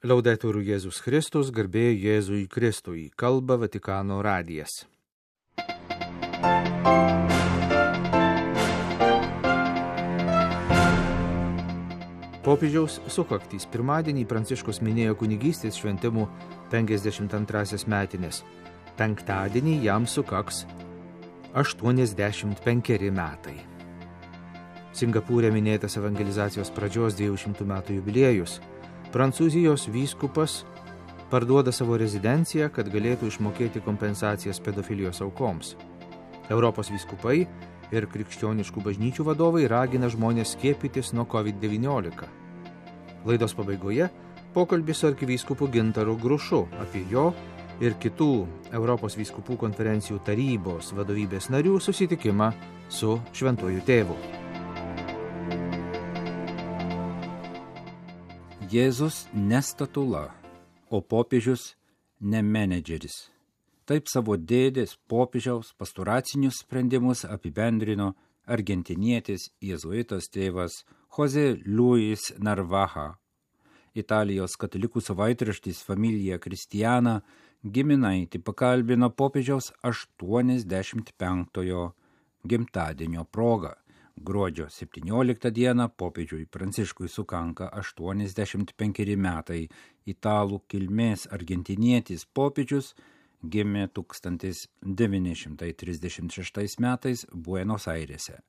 Laudetur Jėzus Kristus, garbė Jėzui Kristui, kalba Vatikano radijas. Popiežiaus sukaktys pirmadienį Pranciškus minėjo kunigystės šventimų 52 metinės. Penktadienį jam sukaks 85 metai. Singapūre minėtas evangelizacijos pradžios 200 metų jubiliejus. Prancūzijos vyskupas parduoda savo rezidenciją, kad galėtų išmokėti kompensacijas pedofilijos aukoms. Europos vyskupai ir krikščioniškų bažnyčių vadovai ragina žmonės skiepytis nuo COVID-19. Laidos pabaigoje pokalbis su arkivyskupu Gintaru Grušu apie jo ir kitų Europos vyskupų konferencijų tarybos vadovybės narių susitikimą su Šventuoju Tėvu. Jėzus ne statula, o popiežius ne menedžeris. Taip savo dėdės popiežiaus pastoracinius sprendimus apibendrino argentinietis jėzuitas tėvas José Luis Narvaja. Italijos katalikų savaitraštis Familia Cristiana giminaitį pakalbino popiežiaus 85-ojo gimtadienio proga. Gruodžio 17 dieną popiežiui Pranciškui sukanka 85 metai. Italų kilmės argentinietis popiežius gimė 1936 metais Buenos Airėse.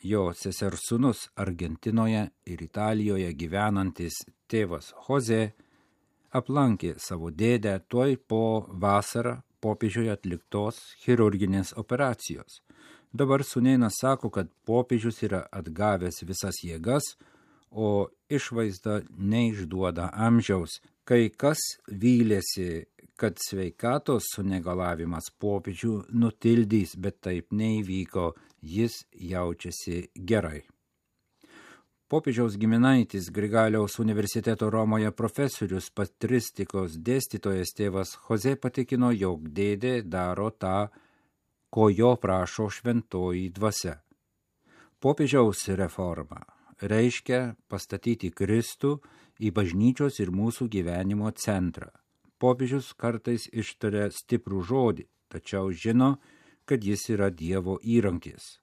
Jo sesers sūnus Argentinoje ir Italijoje gyvenantis tėvas Jose aplankė savo dėdę tuoj po vasarą popiežiui atliktos chirurginės operacijos. Dabar sūnėnas sako, kad popiežius yra atgavęs visas jėgas, o išvaizda neišduoda amžiaus. Kai kas vylėsi, kad sveikatos sunegalavimas popiežių nutildys, bet taip neįvyko, jis jaučiasi gerai. Popiežiaus giminaitis Grigaliaus universiteto Romoje profesorius patristikos dėstytojas tėvas Jose patikino, jog dėdė daro tą, ko jo prašo šventoji dvasia. Popiežiaus reforma reiškia pastatyti Kristų į bažnyčios ir mūsų gyvenimo centrą. Popiežius kartais ištaria stiprų žodį, tačiau žino, kad jis yra Dievo įrankis.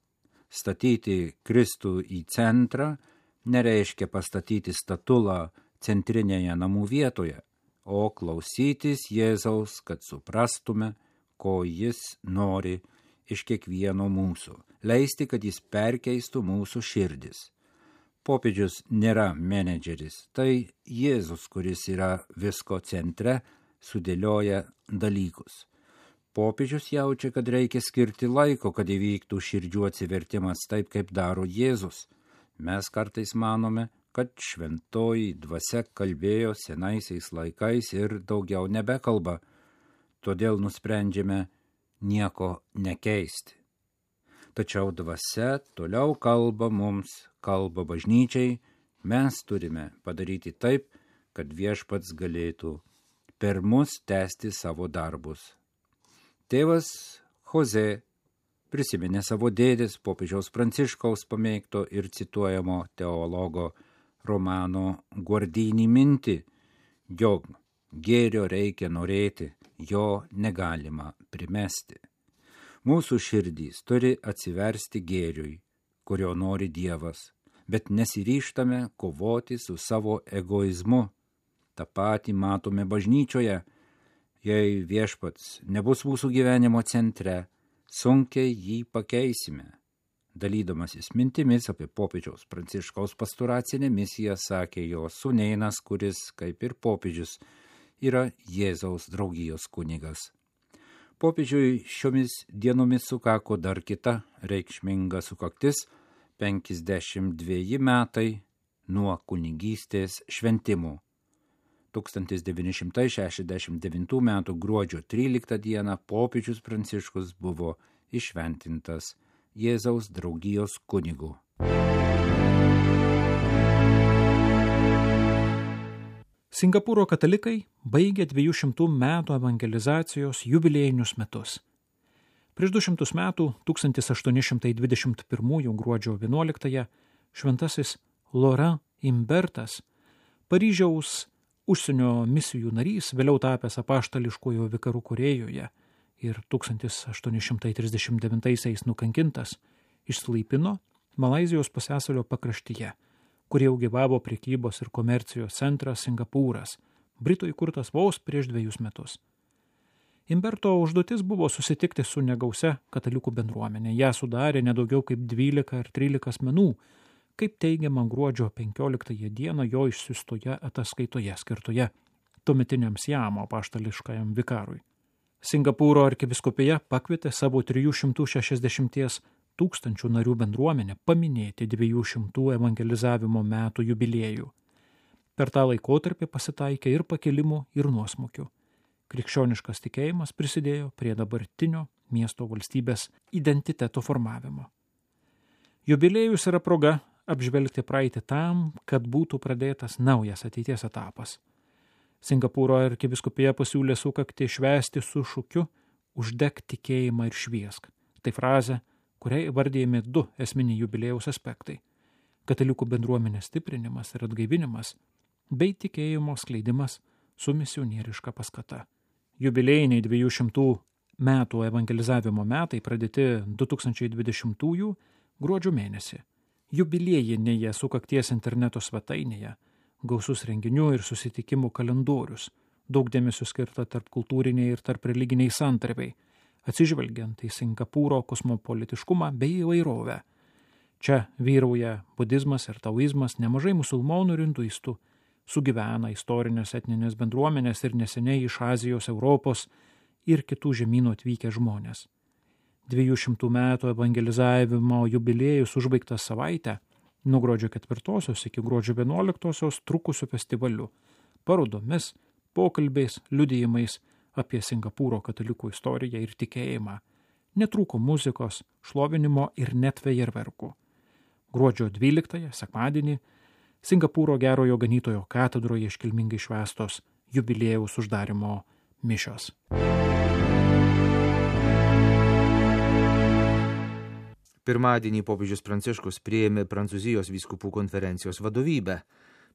Statyti Kristų į centrą nereiškia pastatyti statulą centrinėje namų vietoje, o klausytis Jėzaus, kad suprastume, ko jis nori iš kiekvieno mūsų, leisti, kad jis perkeistų mūsų širdis. Popiežius nėra menedžeris, tai Jėzus, kuris yra visko centre, sudėlioja dalykus. Popiežius jaučia, kad reikia skirti laiko, kad įvyktų širdžių atsivertimas taip, kaip daro Jėzus. Mes kartais manome, kad šventoji dvasia kalbėjo senaisiais laikais ir daugiau nebekalba, todėl nusprendžiame nieko nekeisti. Tačiau dvasia toliau kalba mums, kalba bažnyčiai, mes turime padaryti taip, kad viešpats galėtų per mus tęsti savo darbus. Tėvas Jose prisiminė savo dėdės popiežiaus Pranciškaus pamėgto ir cituojamo teologo Romano Guardini mintį, jog gėrio reikia norėti, jo negalima primesti. Mūsų širdys turi atsiversti gėriui, kurio nori Dievas, bet nesiryžtame kovoti su savo egoizmu. Ta patį matome bažnyčioje. Jei viešpats nebus mūsų gyvenimo centre, sunkiai jį pakeisime. Dalydamasis mintimis apie popiežiaus Pranciškaus pastoracinę misiją, sakė jo sūnėnas, kuris, kaip ir popiežius, yra Jėzaus draugijos kunigas. Popiežiui šiomis dienomis sukako dar kita reikšminga sukaktis – 52 metai nuo kunigystės šventimų. 1969 m. gruodžio 13 d. popiežius Pranciškus buvo įšventintas Jėzaus draugijos kunigu. Singapūro katalikai baigė 200 metų evangelizacijos jubiliejinius metus. Prieš 200 metų, 1821 gruodžio 11, šventasis Laurent Imbertas Paryžiaus užsienio misijų narys, vėliau tapęs apaštališkojo vikaru Korėjoje ir 1839 nukankintas, išsilaipino Malaizijos pusiasalio pakraštyje, kur jau gyvavo prekybos ir komercijos centras Singapūras, Britų įkurtas vos prieš 2 metus. Imberto užduotis buvo susitikti su negausia katalikų bendruomenė. Ją sudarė nedaugiau kaip 12 ar 13 asmenų, kaip teigiama gruodžio 15 dieną jo išsiustoje ataskaitoje skirtoje tuometiniam Siamo apaštališkajam vikarui. Singapūro arkivyskupija pakvietė savo 360 000 narių bendruomenę paminėti 200 evangelizavimo metų jubiliejų. Per tą laikotarpį pasitaikė ir pakilimų, ir nuosmukių. Krikščioniškas tikėjimas prisidėjo prie dabartinio miesto valstybės identiteto formavimo. Jubiliejus yra proga apžvelgti praeitį tam, kad būtų pradėtas naujas ateities etapas. Singapūro arkivyskupija pasiūlė sukaktį švęsti su šūkiu "Uždek tikėjimą ir šviesk". Tai frazė, kuriai įvardėjami 2 esminiai jubiliejaus aspektai – katalikų bendruomenės stiprinimas ir atgaivinimas, bei tikėjimo skleidimas su misionieriška paskata. Jubiliejiniai 200 metų evangelizavimo metai pradėti 2020 gruodžio mėnesį. Jubiliejinėje sukakties interneto svetainėje gausus renginių ir susitikimų kalendorius, daug dėmesio skirta tarpkultūriniai ir tarpreliginiai santarvei, atsižvelgiant į Singapūro kosmopolitiškumą bei įvairovę. Čia vyrauja budizmas ir taoizmas, nemažai musulmonų ir hinduistų, sugyvena istorinės etninės bendruomenės ir neseniai iš Azijos, Europos ir kitų žemynų atvykę žmonės. 200 metų evangelizavimo jubiliejus užbaigtas savaitę, nuo gruodžio 4 iki gruodžio 11 trukusių festivalių, parodomis, pokalbiais, liudijimais apie Singapūro katalikų istoriją ir tikėjimą. Netrūko muzikos, šlovinimo ir net fejerverkų. Gruodžio 12, sekmadienį, Singapūro Gerojo Ganytojo katedroje iškilmingai švęstos jubiliejaus uždarimo mišios. Pirmadienį popiežius Pranciškus priėmė Prancūzijos vyskupų konferencijos vadovybę,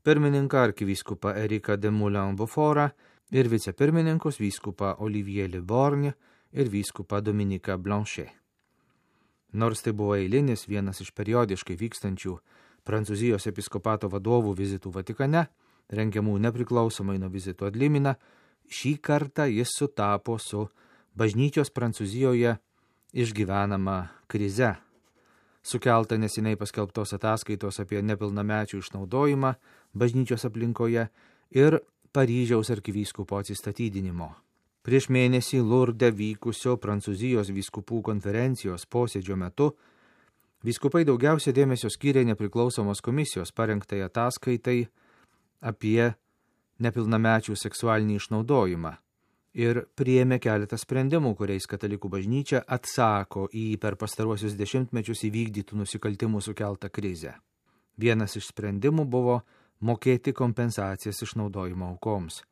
pirmininką arkivyskupą Eriką de Moulin-Beaufortą ir vicepirmininkus vyskupą Olivier Le Borgne ir vyskupą Dominiką Blanchet. Nors tai buvo eilinis vienas iš periodiškai vykstančių Prancūzijos episkopato vadovų vizitų Vatikane, rengiamų nepriklausomai nuo vizitų ad limina, šį kartą jis sutapo su bažnyčios Prancūzijoje išgyvenama krize, sukelta neseniai paskelbtos ataskaitos apie nepilnamečių išnaudojimą bažnyčios aplinkoje ir Paryžiaus arkivyskupo atsistatydinimo. Prieš mėnesį Lurde vykusio Prancūzijos vyskupų konferencijos posėdžio metu vyskupai daugiausia dėmesio skyrė nepriklausomos komisijos parengtai ataskaitai apie nepilnamečių seksualinį išnaudojimą ir priėmė keletą sprendimų, kuriais katalikų bažnyčia atsako į per pastaruosius dešimtmečius įvykdytų nusikaltimų sukeltą krizę. Vienas iš sprendimų buvo mokėti kompensacijas išnaudojimo aukoms.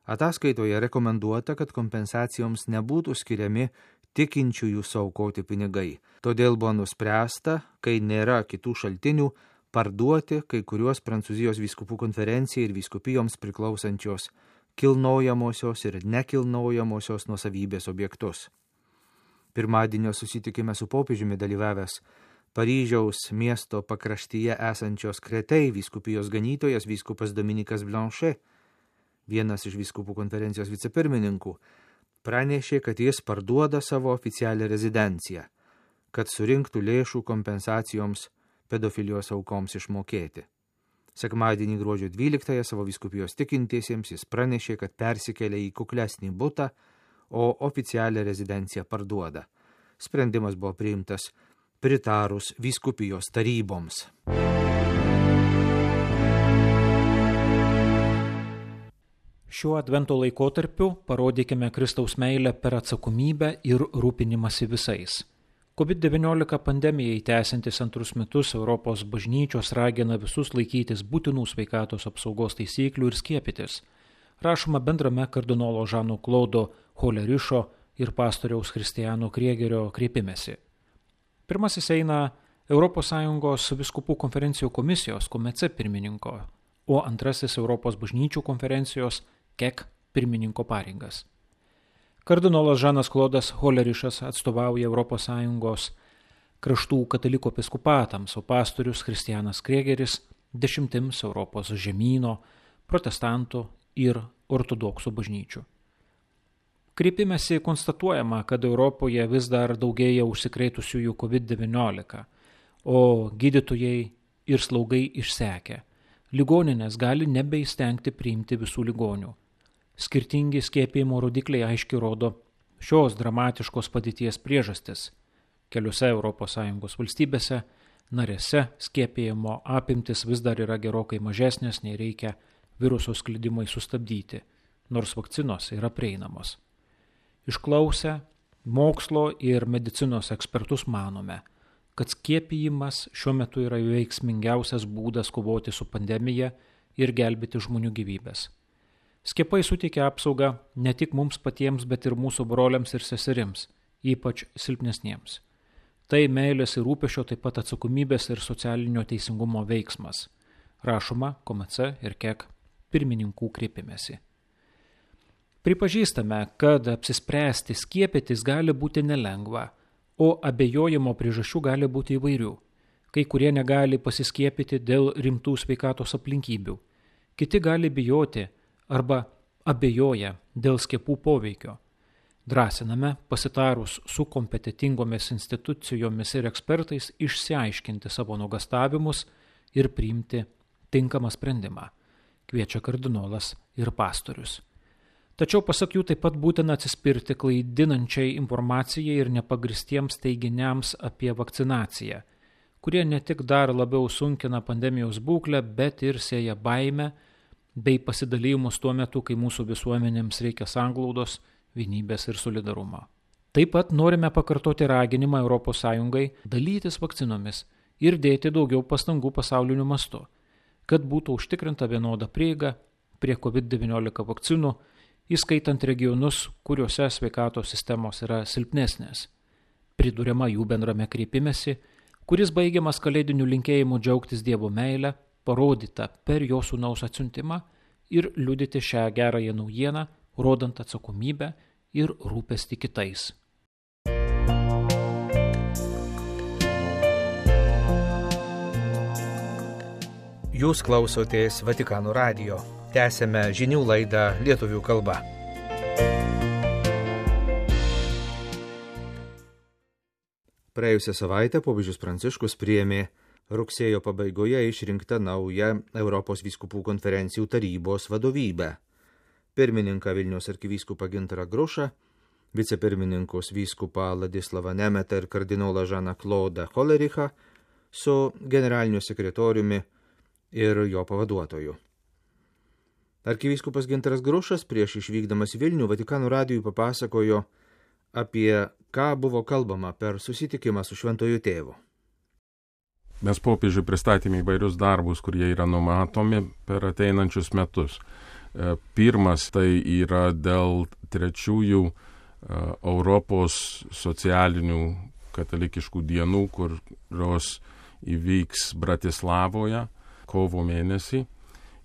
Ataskaitoje rekomenduota, kad kompensacijoms nebūtų skiriami tikinčiųjų suaukoti pinigai. Todėl buvo nuspręsta, kai nėra kitų šaltinių, parduoti kai kuriuos Prancūzijos vyskupų konferencijai ir vyskupijoms priklausančios kilnojamosios ir nekilnojamosios nuosavybės objektus. Pirmadienio susitikime su popiežiumi dalyvavęs Paryžiaus miesto pakraštyje esančios Kretei vyskupijos ganytojas vyskupas Dominikas Blanchet, vienas iš vyskupų konferencijos vicepirmininkų, pranešė, kad jis parduoda savo oficialią rezidenciją, kad surinktų lėšų kompensacijoms pedofilijos aukoms išmokėti. Sekmadienį gruodžio 12 savo vyskupijos tikintiesiems jis pranešė, kad persikėlė į kuklesnį butą, o oficialią rezidenciją parduoda. Sprendimas buvo priimtas pritarus vyskupijos taryboms. Šiuo advento laikotarpiu parodykime Kristaus meilę per atsakomybę ir rūpinimąsi visais. COVID-19 pandemijai tęsiantis 2 metus Europos bažnyčios ragina visus laikytis būtinų sveikatos apsaugos taisyklių ir skiepytis. Rašoma bendrame kardinolo Žano Klodo Holerišo ir pastoriaus Kristiano Kriegerio kreipimesi. Pirmasis eina ES vyskupų konferencijų komisijos KOMECE pirmininko o antrasis Europos bažnyčių konferencijos KEK pirmininko pareigas. Kardinolas Žanas Klodas Holerišas atstovauja ES kraštų katalikų episkopatams, o pastorius Kristianas Krėgeris 10 Europos žemyno, protestantų ir ortodoksų bažnyčių. Kreipimesi konstatuojama, kad Europoje vis dar daugėja užsikrėtusiųjų COVID-19, o gydytojai ir slaugai išsekę. Ligoninės gali nebeįstengti priimti visų ligonių. Skirtingi skiepijimo rodikliai aiškiai rodo šios dramatiškos padėties priežastis. Keliose ES valstybėse narėse skiepijimo apimtis vis dar yra gerokai mažesnės, nei reikia viruso sklidimui sustabdyti, nors vakcinos yra prieinamos. Išklausę mokslo ir medicinos ekspertus manome, kad skiepijimas šiuo metu yra veiksmingiausias būdas kovoti su pandemija ir gelbėti žmonių gyvybės. Skiepai suteikia apsaugą ne tik mums patiems, bet ir mūsų broliams ir seserims, ypač silpnesniems. Tai meilės ir rūpesčio, taip pat atsakomybės ir socialinio teisingumo veiksmas, rašoma KOMC ir KEK pirmininkų kreipimesi. Pripažįstame, kad apsispręsti skiepytis gali būti nelengva, o abejojimo priežasčių gali būti įvairių. Kai kurie negali pasiskiepyti dėl rimtų sveikatos aplinkybių, kiti gali bijoti arba abejoja dėl skiepų poveikio. Drąsiname, pasitarus su kompetitingomis institucijomis ir ekspertais, išsiaiškinti savo nuogąstavimus ir priimti tinkamą sprendimą, kviečia kardinolas ir pastorius. Tačiau pasak jų taip pat būtina atsispirti klaidinančiai informacijai ir nepagristiems teiginiams apie vakcinaciją, kurie ne tik dar labiau sunkina pandemijos būklę, bet ir sėja baimę bei pasidalymus tuo metu, kai mūsų visuomenėms reikia sanglaudos, vienybės ir solidarumo. Taip pat norime pakartoti raginimą ES dalytis vakcinomis ir dėti daugiau pastangų pasauliniu mastu, kad būtų užtikrinta vienoda prieiga prie COVID-19 vakcinų, įskaitant regionus, kuriuose sveikatos sistemos yra silpnesnės. Priduriama jų bendrame kreipimesi, kuris baigiamas kalėdiniu linkėjimu džiaugtis Dievo meilę, parodyta per jo sūnaus atsiuntimą ir liudyti šią gerąją naujieną, rodant atsakomybę ir rūpestį kitais. Jūs klausotės Vatikano radijo. Tęsėme žinių laidą lietuvių kalba. Praėjusią savaitę popiežius Pranciškus priėmė rugsėjo pabaigoje išrinktą naują Europos vyskupų konferencijų tarybos vadovybę. Pirmininką Vilniaus arkivyskupą Gintarą Grušą, vicepirmininkus vyskupą Ladislavą Nemetą ir kardinolą Žaną Klodą Holerichą su generaliniu sekretoriumi ir jo pavaduotoju. Arkivyskupas Gintaras Grušas prieš išvykdamas Vilnių Vatikano radijui papasakojo apie ką buvo kalbama per susitikimą su Šventuoju Tėvu. Mes popiežiui pristatėme įvairius darbus, kurie yra numatomi per ateinančius metus. Pirmas tai yra dėl trečiųjų Europos socialinių katalikiškų dienų, kurios įvyks Bratislavoje kovo mėnesį.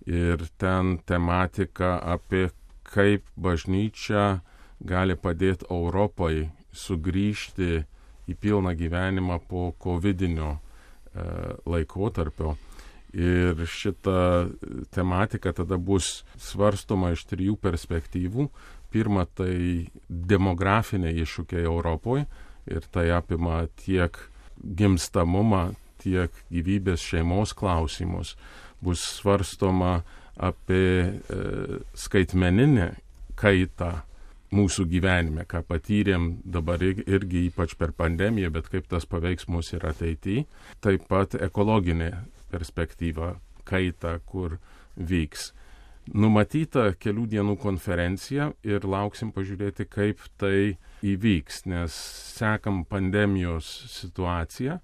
Ir ten tematika apie kaip bažnyčia gali padėti Europai sugrįžti į pilną gyvenimą po covidinio laikotarpio. Ir šita tematika tada bus svarstoma iš 3 perspektyvų. Pirma, tai demografiniai iššūkiai Europoje ir tai apima tiek gimstamumą, tiek gyvybės šeimos klausimus. Bus svarstoma apie skaitmeninę kaitą mūsų gyvenime, ką patyrėm dabar irgi ypač per pandemiją, bet kaip tas paveiks mus ir ateityje. Taip pat ekologinė perspektyva kaita, kur vyks. Numatyta kelių dienų konferencija ir lauksim pažiūrėti, kaip tai įvyks, nes sekam pandemijos situaciją,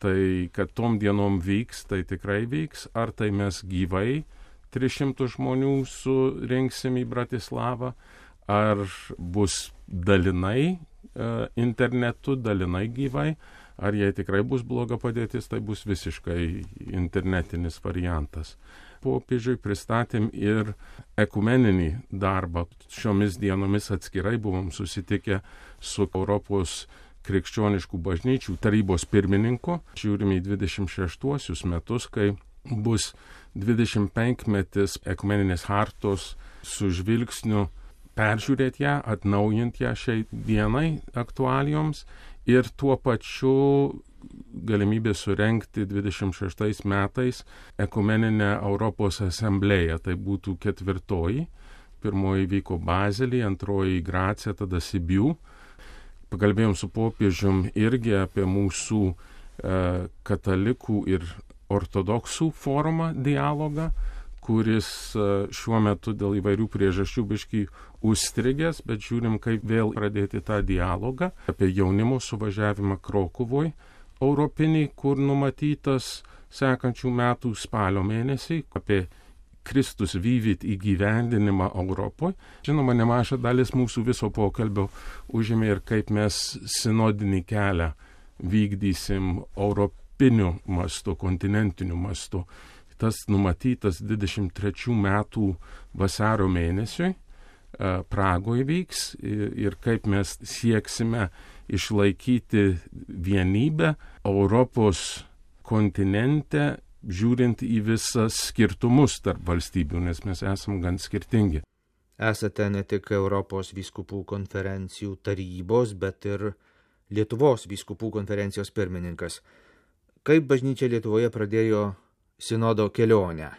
tai kad tom dienom vyks, tai tikrai vyks, ar tai mes gyvai 300 žmonių surinksim į Bratislavą, ar bus dalinai internetu, dalinai gyvai, ar jei tikrai bus bloga padėtis, tai bus visiškai internetinis variantas. popiežiui, pristatėm ir ekumeninį darbą. Šiomis dienomis atskirai buvom susitikę su Europos krikščioniškų bažnyčių tarybos pirmininku. Žiūrime į 26 metus, kai bus 25-metis ekumeninės hartos su žvilgsniu peržiūrėti ją, atnaujinti ją šiai dienai aktualijoms ir tuo pačiu galimybė surenkti 26 metais ekumeninę Europos asamblėją. Tai būtų 4. Pirmoji vyko Bazelyje, antroji Grace, tada Sibiu. Pakalbėjom su popiežium irgi apie mūsų katalikų ir ortodoksų forumą dialogą, kuris šiuo metu dėl įvairių priežasčių biškį užstrigęs, bet žiūrim, kaip vėl pradėti tą dialogą apie jaunimo suvažiavimą Krokuvoj, europinį, kur numatytas sekančių metų spalio mėnesį, apie Kristus vyvit įgyvendinimą Europoje. Žinoma, nemaža dalis mūsų viso pokalbio užėmė ir kaip mes sinodinį kelią vykdysim europiniu mastu, kontinentiniu mastu. Tas numatytas 23 metų vasario mėnesiui Pragoje vyks ir kaip mes sieksime išlaikyti vienybę Europos kontinente, žiūrint į visas skirtumus tarp valstybių, nes mes esam gan skirtingi. Esate ne tik Europos vyskupų konferencijų tarybos, bet ir Lietuvos vyskupų konferencijos pirmininkas. Kaip bažnyčia Lietuvoje pradėjo sinodo kelionę?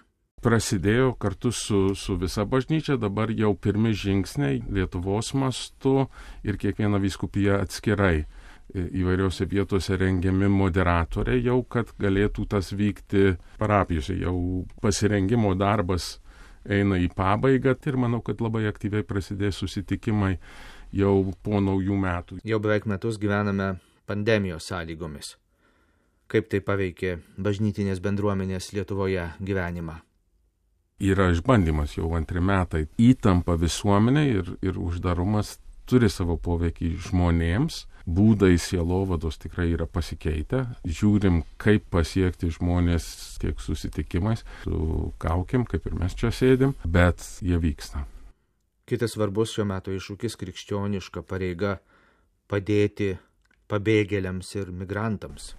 Prasidėjo kartu su visa bažnyčia, dabar jau pirmi žingsniai Lietuvos mastu ir kiekviena vyskupija atskirai. Įvairiose vietose rengiami moderatoriai jau, kad galėtų tas vykti parapijose. Jau pasirengimo darbas eina į pabaigą ir manau, kad labai aktyviai prasidės susitikimai jau po naujų metų. Jau beveik metus gyvename pandemijos sąlygomis. Kaip tai paveikė bažnytinės bendruomenės Lietuvoje gyvenimą? Yra išbandymas jau 2 metai. Įtampa visuomenė ir uždarumas turi savo poveikį žmonėms. Būdai sielovados tikrai yra pasikeitę. Žiūrim, kaip pasiekti žmonės tiek susitikimais, su kaukėm, kaip ir mes čia sėdim, bet jie vyksta. Kitas svarbus šiuo metu iššūkis krikščioniška pareiga padėti pabėgėliams ir migrantams.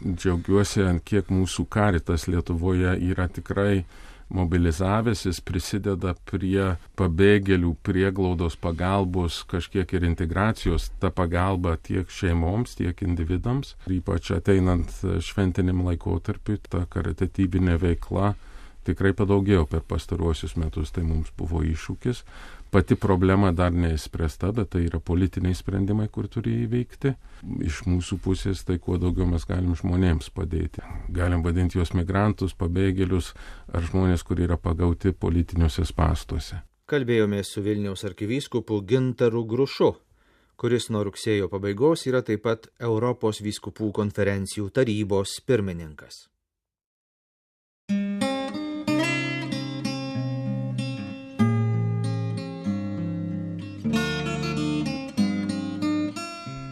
Džiaugiuosi, ant kiek mūsų Karitas Lietuvoje yra tikrai mobilizavęsis, prisideda prie pabėgėlių prieglaudos pagalbos, kažkiek ir integracijos, ta pagalba tiek šeimoms, tiek individams. Ypač ateinant šventiniam laikotarpiu, ta karitatyvinė veikla tikrai padaugėjo per pastaruosius metus, tai mums buvo iššūkis. Pati problema dar neįspręsta, bet tai yra politiniai sprendimai, kur turi įveikti. Iš mūsų pusės tai kuo daugiau mes galim žmonėms padėti. Galim vadinti juos migrantus, pabėgėlius ar žmonės, kurie yra pagauti politiniuose spąstuose. Kalbėjomės su Vilniaus arkivyskupu Gintaru Grušu, kuris nuo rugsėjo pabaigos yra taip pat Europos vyskupų konferencijų tarybos pirmininkas.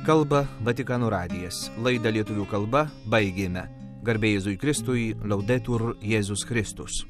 Kalba Vatikano radijas. Laidą lietuvių kalba baigėme. Garbė Jėzui Kristui, Laudetur Jėzus Kristus.